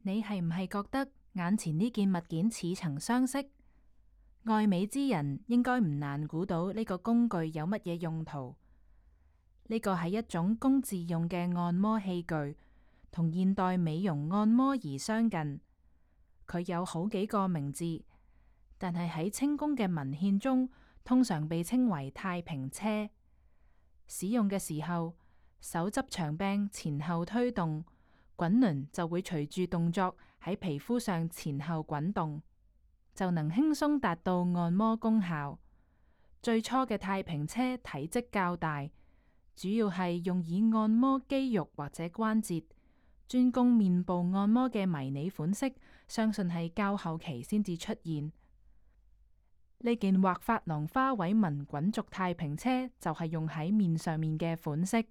你係唔係覺得眼前呢件物件似曾相識？愛美之人應該唔難估到呢個工具有乜嘢用途。呢個係一種供自用嘅按摩器具，同現代美容按摩儀相近。佢有好幾個名字，但係喺清宮嘅文獻中，通常被稱為太平車。使用嘅時候，手執長柄前後推動，滾輪就會隨住動作喺皮膚上前後滾動，就能輕鬆達到按摩功效。最初嘅太平車體積較大，主要係用以按摩肌肉或者關節，專供面部按摩嘅迷你款式，相信係較後期先至出現。呢件畫珐琅花卉紋滾軸太平車就係用喺面上面嘅款式。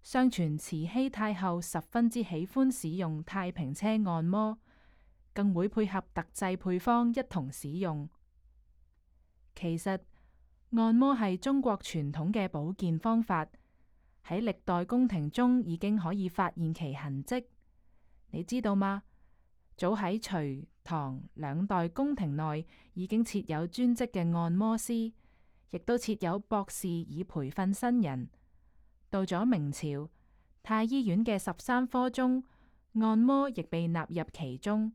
相傳慈禧太后十分之喜歡使用太平車按摩，更會配合特製配方一同使用。其實按摩係中國傳統嘅保健方法，喺歷代宮廷中已經可以發現其痕跡。你知道嗎？早喺隋唐兩代宮廷內已經設有專職嘅按摩師，亦都設有博士以培訓新人。到咗明朝，太醫院嘅13科中，按摩亦被納入其中。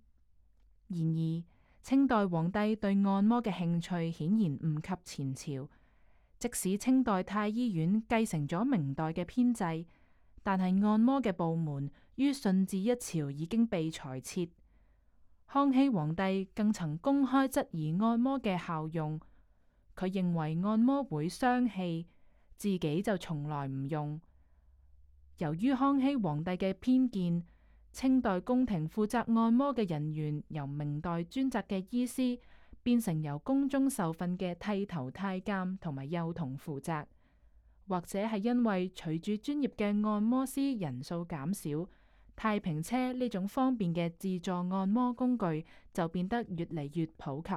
然而，清代皇帝對按摩嘅興趣顯然唔及前朝。即使清代太醫院繼承咗明代嘅編制，但係按摩嘅部門於順治一朝已經被裁撤。康熙皇帝更曾公開質疑按摩嘅效用，佢認為按摩會傷氣，自己就從來唔用。由於康熙皇帝嘅偏見，清代宮廷負責按摩嘅人員由明代專責嘅醫師變成由宮中受訓嘅剃頭太監同埋幼童負責，或者係因為隨住專業嘅按摩師人數減少，太平車呢種方便嘅自助按摩工具就變得越嚟越普及。